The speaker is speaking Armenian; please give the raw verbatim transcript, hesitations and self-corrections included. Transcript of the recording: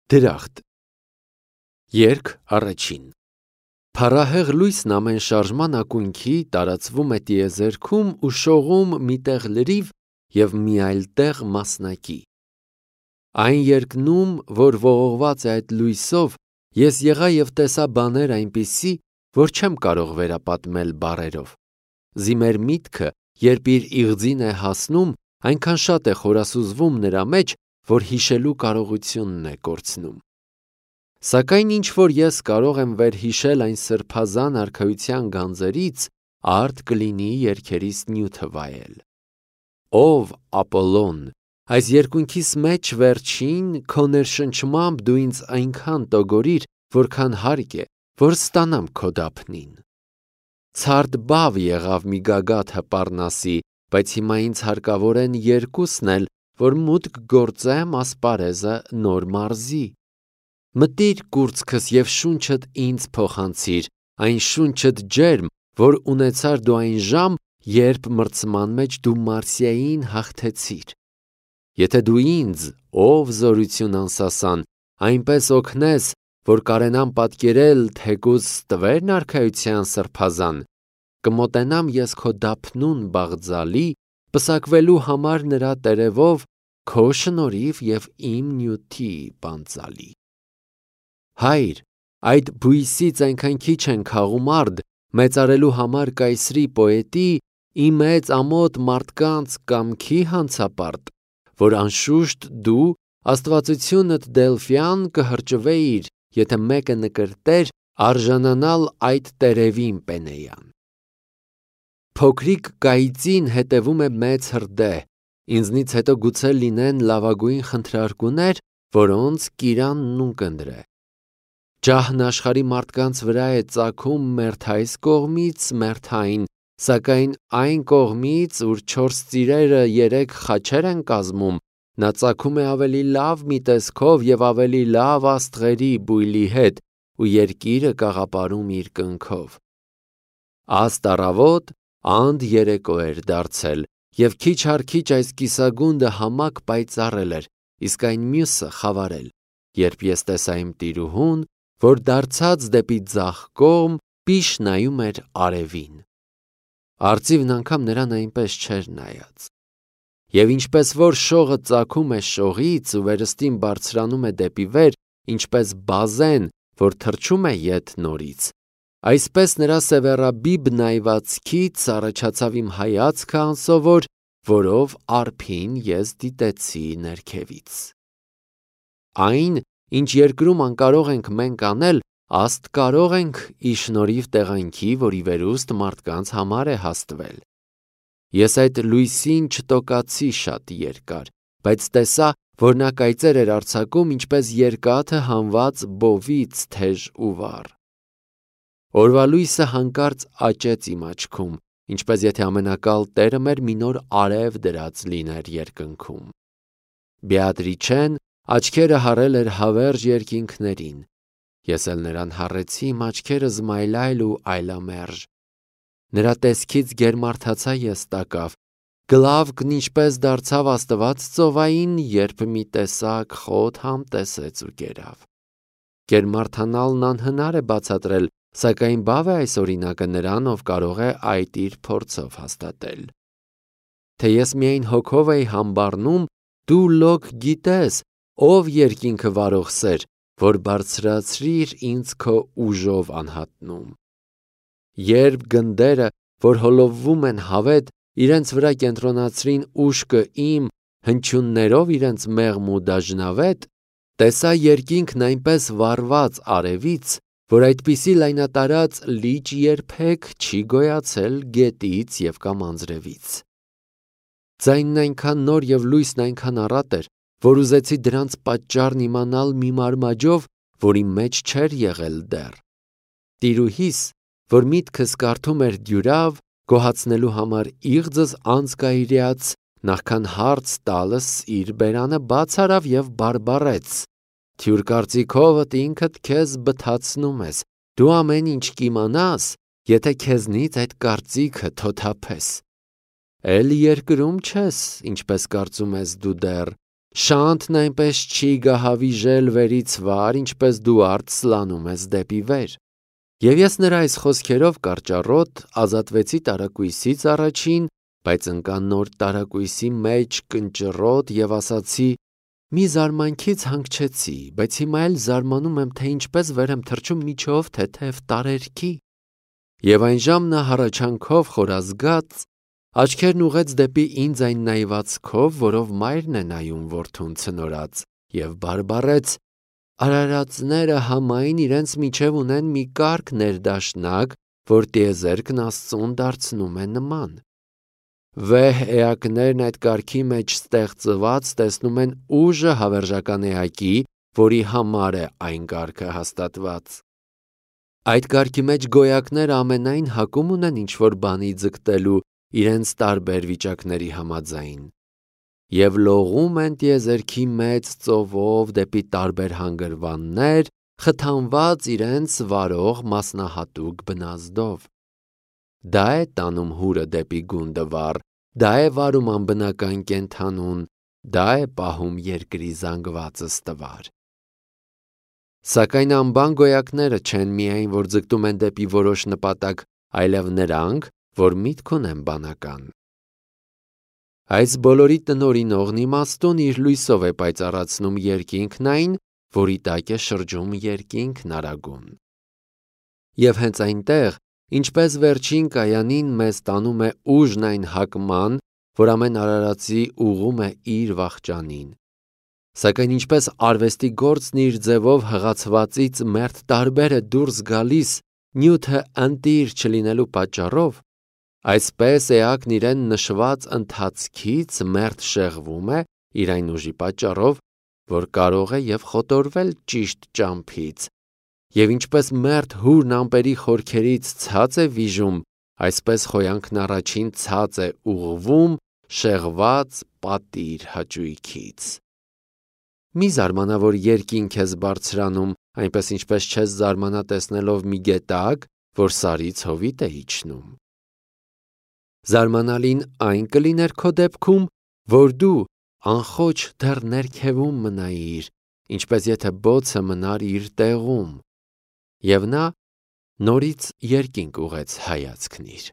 Դրախտ։ Երգ առաջին։ Փառահեղ լույսն ամեն շարժման ակունքի տարածվում է տիեզերքում ու շողում մի տեղ լրիվ և մի այլ տեղ մասնակի։ Այն երկնում, որ ողողված է այդ լույսով, ես եղա և տեսա բաներ այնպիսի, որ չեմ կարող վերապատմել բառերով։ Զի մեր միտքը, երբ իր իղձին է հասնում, այնքան շատ է խորասուզվում նրա մեջ, որ հիշելու կարողությունն է կորցնում։ Սակայն ինչ որ ես կարող եմ վերհիշել այն սրբազան արքայության գանձերից, արդ կլինի երգերիս նյութը վայել։ Ով Ապոլոն, այս երկունքիս մեջ վերջին, քո ներշնչմամբ դու ինձ այնքան տոգորիր, որքան հարկ է, որ ստանամ քո դափնին։ Ցարդ բավ եղավ մի գագաթը Պառնասի, բայց հիմա ինձ հարկավոր են երկուսն էլ, որ մուտք գործեմ ասպարեզը նոր մարզի։ Մտիր կուրծքս և շունչդ ինձ փոխանցիր, այն շունչդ ջերմ, որ ունեցար դու այն ժամ, երբ մրցման մեջ դու Մարսիային հաղթեցիր։ Եթե դու ինձ, ով զորություն անսասան, այնպես օգնես, որ կարենամ պատկերել թեկուզ ստվերն արքայության սրբազան, կմոտենամ ես քո դափնուն բաղձալի, պսակվելու համար նրա տերևով, քո շնորհիվ և իմ նյութի պանծալի։ Հայր, այդ բույսից այնքան քիչ են քաղում արդ, մեծարելու համար կայսրի պոետի, ի մեծ ամոթ մարդկանց կամքի հանցապարտ, որ անշուշտ դու աստվածությունդ Դելֆյան կհրճվեիր, եթե մեկը նկրտեր արժանանալ այդ տերևին պենեյան։ Փոքրիկ կայծին հետևում է մեծ հրդեհ, ինձնից հետո գուցե լինեն լավագույն խնդրարկուներ, որոնց կիրանն ունկնդրե։ Ջահն աշխարհի մարդկանց վրա է ծագում մերթ այս կողմից մերթ այն, սակայն այն կողմից, ուր չորս ծիրերը երեք խաչեր են կազմում, նա ծագում է ավելի լավ մի տեսքով և ավելի լավ աստղերի բույլի հետ ու երկիրը կաղապարում իր կնքով։ Աստ առավոտ անդ երեկո էր դարձել, և քիչ առ քիչ այս կիսագունդը համակ պայծառել էր, իսկ այն մյուսը խավարել, երբ ես տեսա իմ տիրուհուն, որ դարձած դեպի ձախ կողմ պիշ նայում էր արևին։ Արծիվն անգամ նրան այնպես չէր նայած։ Եվ ինչպես որ շողը ծագում է շողից ու վերստին բարձրանում է դեպի վեր, ինչպես բազեն, որ թռչում է ետ նորից, այսպես նրա սևեռաբիբ նայվածքից առաջացավ իմ հայացքը անսովոր, որով արփին ես դիտեցի ներքևից։ Այն, ինչ երկրում անկարող ենք մենք անել, աստ կարող ենք ի շնորհիվ տեղանքի, որի վերուստ մարդկանց համար է հաստվել։ Ես այդ լույսին չտոկացի շատ երկար, բայց տեսա, որ նա կայծեր էր արձակում, ինչպես երկաթը հանված բովից թեժ ու վառ։ Օրվա լույսը հանկարծ աճեց իմ աչքում, ինչպես եթե ամենակալ Տերը մեր մի նոր արև դրած լիներ երկնքում։ Բեատրիչեն աչքերը հառել էր հավերժ երկինքներին, ես էլ նրան հառեցի իմ աչքերը զմայլայլ ու այլամերժ։ Նրա տեսքից գերմարդացա ես տակավ, գլավկն ինչպես դարձավ աստված ծովային, երբ մի տեսակ խոտ համտեսեց ու կերավ։ Գերմարդանալն անհնար է բացատրել, սակայն բավ է այս օրինակը նրան, ով կարող է այդ իր փորձով հաստատել։ Թե ես միայն հոգով էի համբառնում, դու լոկ գիտես, ով երկինքը վարող սեր, որ բարձրացրիր ինձ քո ուժով անհատնում։ Երբ գնդերը, որ հոլովվում են հավետ, իրենց վրա կենտրոնացրին ուշքը իմ, հնչյուններով իրենց մեղմ ու դաժնավետ, տեսա երկինքն այնպես վառված արևից, որ այդպիսի լայնատարած լիճ երբեք չի գոյացել գետից և կամ անձրևից։ Ձայնն այնքան նոր և լույսն այնքան առատ էր, որ ուզեցի դրանց պատճառն իմանալ մի մարմաջով, որի մեջ չէր եղել դեռ։ Տիրուհիս, որ միտքս կարդում էր դյուրավ, գոհացնելու համար իղձս անձկայրյաց, նախքան հարց տալս իր բերանը բաց արավ և բարբառեց. «Թյուր կարծիքովդ ինքդ քեզ բթացնում ես, դու ամեն ինչ կիմանաս, եթե քեզնից այդ կարծիքը թոթափես։ Էլ երկրում չես, ինչպես կարծում ես դու դեռ, Շանթն այնպես չի գահավիժել վերից վար, ինչպես դու արդ սլանում ես դեպի վեր։ Եվ ես նրա այս խոսքերով կարճառոտ ազատվեցի տարակույսից առաջին, բայց ընկա նոր տարակույսի մեջ կնճռոտ և ասացի. մի զարմանքից հանգչեցի, բայց հիմա էլ զարմանում եմ, թե ինչպես վեր եմ թռչում միջով թեթև տարերքի։ Եվ այնժամ նա հառաչանքով խորազգաց աչքերն ուղեց դեպի ինձ այն նայվածքով, որով մայրն է նայում որդուն ցնորած, և բարբառեց. արարածները համայն իրենց միջև ունեն մի կարգ ներդաշնակ, որ տիեզերքն Աստծուն դարձնում է նման։ Վեհ էակներն այդ կարգի մեջ ստեղծված տեսնում են ուժը հավերժական էակի, որի համար է այն կարգը հաստատված։ Այդ կարգի մեջ գոյակները ամենայն հակում ունեն ինչ-որ բանի ձգտելու իրենց տարբեր վիճակների համաձայն և լողում են տիեզերքի մեծ ծովով դեպի տարբեր հանգրվաններ, խթանված իրենց վարող մասնահատուկ բնազդով։ Դա է տանում հուրը դեպի գունդը վառ, դա է վարում անբնական կենդանուն, դա է պահում երկրի զանգվածը ստվար։ Սակայն անբան գոյակները չեն միայն, որ ձգտում են դեպի որոշ նպատակ, այլև նրանք, որ միտք ունեն բանական։ Այս բոլորի տնօրինողն իմաստուն իր լույսով է պայծառացնում երկինքն այն, որի տակ է շրջում երկինքն արագուն։ Եվ հենց այնտեղ, ինչպես վերջին կայանին մեզ տանում է ուժն այն հակման, որ ամեն արարածի ուղում է իր վախճանին։ Սակայն ինչպես արվեստի գործն իր ձևով հղացվածից մերթ տարբեր է դուրս գալիս նյութը ընտիր չլինելու պատճառով, այսպես էակն իրեն նշված ընթացքից մերթ շեղվում է իր այն ուժի պատճառով, որ կարող է և խոտորվել ճիշտ ճամփից, և ինչպես մերթ հուրն ամպերի խորքերից ցած է վիժում, այսպես խոյանքն առաջին ցած է ուղղվում շեղված պատիր հաճույքից։ Մի զարմանա, որ երկինք ես բարձրանում, այնպես ինչպես չես զարմանա տեսնելով մի գետակ, որ սարից հովիտ է իջնում։ Զարմանալին այն կլիներ քո դեպքում, որ դու անխոչ դեռ ներքևում մնայիր, ինչպես եթե բոցը մնար իր տեղում, և նա նորից երկինք ուղղեց հայացքն իր։